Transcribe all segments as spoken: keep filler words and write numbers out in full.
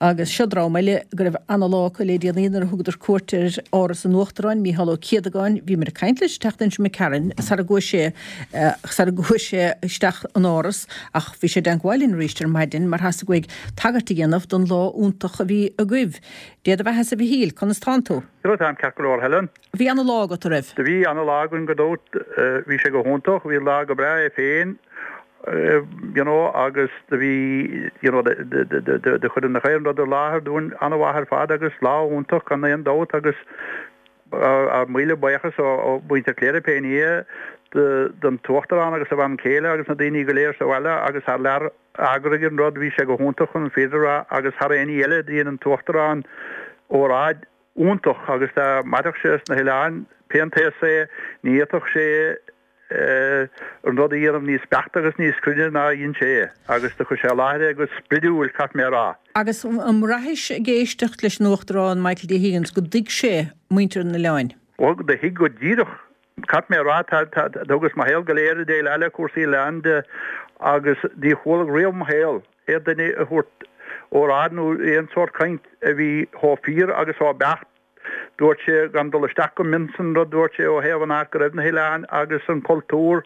Agus seo dream eile go raibh ana-lá acu le déanaí nuair a thugadar cuairt ar Áras an Uachtaráin, Mícheál Ó Céadagáin. Bhíomar ag caint leis an tseachtain seo imigh tharainn sara gcuaigh sé sara gcuaigh sé isteach an Áras ach bhí sé i dteangmháil linn arís ar maidin mar theastaigh uaidh tagairt a dhéanamh don lá iontach a bhí agaibh. Dé do bheatha-sa a Mhichíl, conas tánn tú? Go táim ceart go leor Helen. Bhí ana-lá agat a raibh? Do bhí ana-lá againn gan dabht bhí sé go hiontach, bhí lá go breá é féin you know agus do bhí you know do chuir na chaon rud i láthair dúinn an-mhaith ar fad agus lá iontach gan aon dabht agus ár míle buíochas ó mhuintir Chléire pé ní é don tUachtarán agus a bhean chéile agus na daoine go léir sa bhaile agus thar lear a d'eagraigh an rud bhí sé go hiontach chun an fírinne a rá agus thar aon ní eile dhein an tUachtarán óráid iontach agus dá mairfeadh sé sna hoileáin pé an t-aos é ní fhéadfadh sé an rud a dhéanamh níos beaichte agus níos cruinne ná a dhein sé é agus do chuir sé i láthair é go spridiúil caithfidh mé a rá. Agus an mbraithis ag éisteacht leis an Uachtarán Michael D. Higgins go dtuig sé muintir na n-oileán? Ó do thuig go díreach. Caithfidh mé a rá tá tá thugas mo shaol go léir ag déileáil le cúrsaí oileán de agus ní chualag riamh mo shaol aon duine a thabhairt óráid nó aon sórt caint a bhí chomh fíor agus chomh beacht Dúirt sé, gan dul isteach go mion san rud, dúirt sé ó thaobh an áit go raibh na hoileáin agus an cultúr,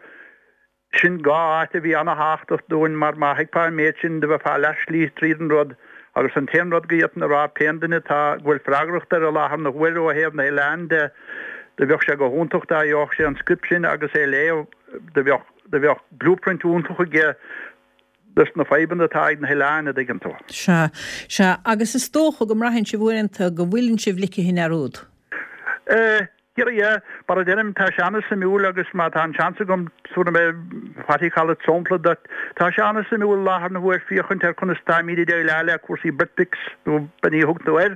sin dhá áit a bhí ana-thábhachtach dúinn mar má thuigfeá an méid sin do bheifeá leath slí tríd an rud agus an t-aon rud go bhféadfainn a rá pé duine atá go bhfuil freagracht air i láthair na huaire ó thaobh na hoileáin de do bheadh sé go hiontach dá gheobhadh sé an script sin agus é a léamh do bheadh do bheadh blueprint iontach aige dos na fadhbanna atá ag na hoileáin, a dtuigeann tú. Sea, sea. Agus is dócha go mbraitheann sibh uaireanta go bhfuileann sibh ligthe i ndearúd. Eh, dhera yeah. Mar a deirim, tá sé ana-suimiúil agus má tá an seans agam, tabharfaidh mé, what do you call it, sampla duit. Tá sé ana-suimiúil i láthair na huaire féachaint ar conas táimid ag déileáil le cúrsaí Britfix nó pé ní a thugann tú air,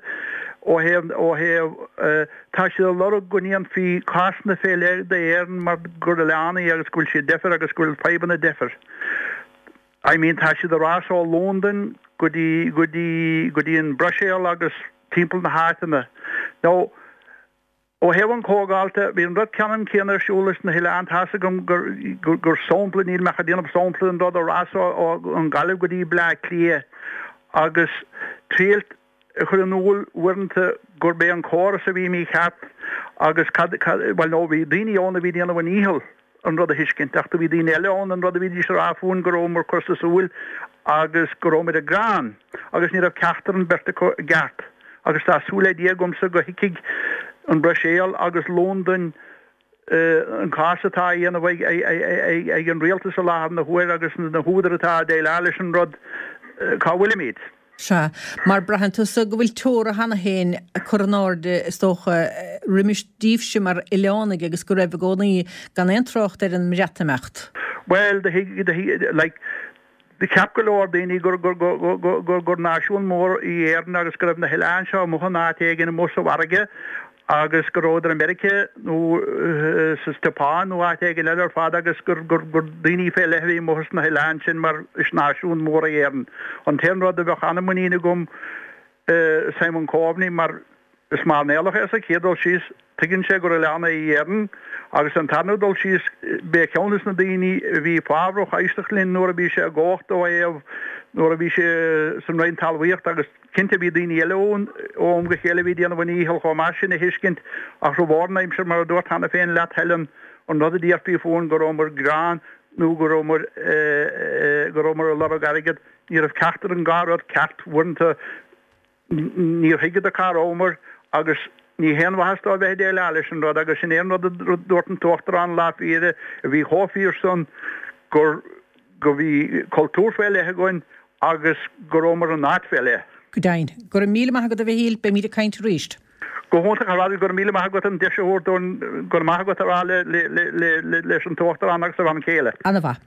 ó thaobh, ó thaobh, eh, tá siad ag lorg go ndéanfaí cásanna fé leith d'Éirinn mar gur oileán í agus go bhfuil siad deifir agus go bhfuil fadhbanna deifir. I mean tá siad ag rá ó Londain go dtí go dtí go dtí an Bruiséil agus timpeall na háiteanna. Now ó thaobh an chomhdháilte bhí an rud ceannann céanna ar siúl leis na hoileáin tá's agam gur gur gur sampla níl mé ach ag déanamh sampla den rud a rás ó ó an Ghaillimh go dtí Bleá Cliath agus triailt a chur in iúl uaireanta gurb é an córas a bhí mícheart agus cad cad bhuel no bhí daoine ann a bhí ag déanamh a ndícheall an rud a thuiscint ach do bhí daoine eile ann an rud a bhídís a rá fúinn go rabhamar curtha súil agus go rabhamar ag gearán agus ní raibh ceachtar an beirt acu i gceart agus tá súil le Dia agamsa go thuigfidh an Bhruiséil agus Londain an cás atá á dhéanamh ag an rialtas i láthair na huaire agus na húdair atá ag déileáil leis an rud cá bhfuilimid. Sea, mar braitheann tusa go bhfuil teora cheana féin curtha in airde, is dócha, roimis daoibhse mar oileánaigh agus go raibh i gcónaí, gan aon trácht ar an mBreatimeacht. Bhuel, do thuig, do thuig, like, do cheap go leor daoine gur, gur, gur, gur, gur, gur náisiún mór í Éirinn agus go raibh na hoileáin seo amuigh in áit éigin amuigh sa bhfarraige agus go rabhadar i Meiriceá nó sa tSeapáin nó áit éigin eile ar fad agus gur gur gur daoine fé leith a bhí amuigh sna hoileáin sin mar is náisiún mór é Éirinn. An t-aon rud a bheadh an-mhuinín agam i Simon Coveney mar is mairnéalach é sa chéad dul síos, tuigeann sé gur oileán é Éirinn agus an tarna dul síos b'é ceann des na daoine a bhí fábhrach éisteacht linn nuair a bhí sé i gcumhacht ó thaobh nuair a bhí sé san Roinn Talmhaíochta agus Cinnte bhí daoine eile ann ó am go chéile a bhí ag déanamh a ndícheall chomh maith sin a thuiscint ach formhór na aimsire mar a dúrt cheana féin leat Helen an rud a déarfaí fúinn go rabhamar ag gearán nó go rabhamar go rabhamar ag lorg airgead ní raibh ceachtar den dhá rud ceart uaireanta níor thuigeadar cá rabhamar agus ní haon mhaitheas dó a bheith ag déileáil leis an rud agus sin é an rud a dúirt an tUachtarán lá féile a bhí chomh fíor san gur go bhí cultúr fé leith againn agus go rabhamar in áit fé leith. Go deimhin. Go raibh míle maith agat a Mhichíl, beimid ag caint arís. Go hiontach ar fad, go raibh míle maith agat an deis a thabhairt dúinn go raibh maith agat a rá leis an tUachtarán agus a bhean chéile. Ana-mhaith.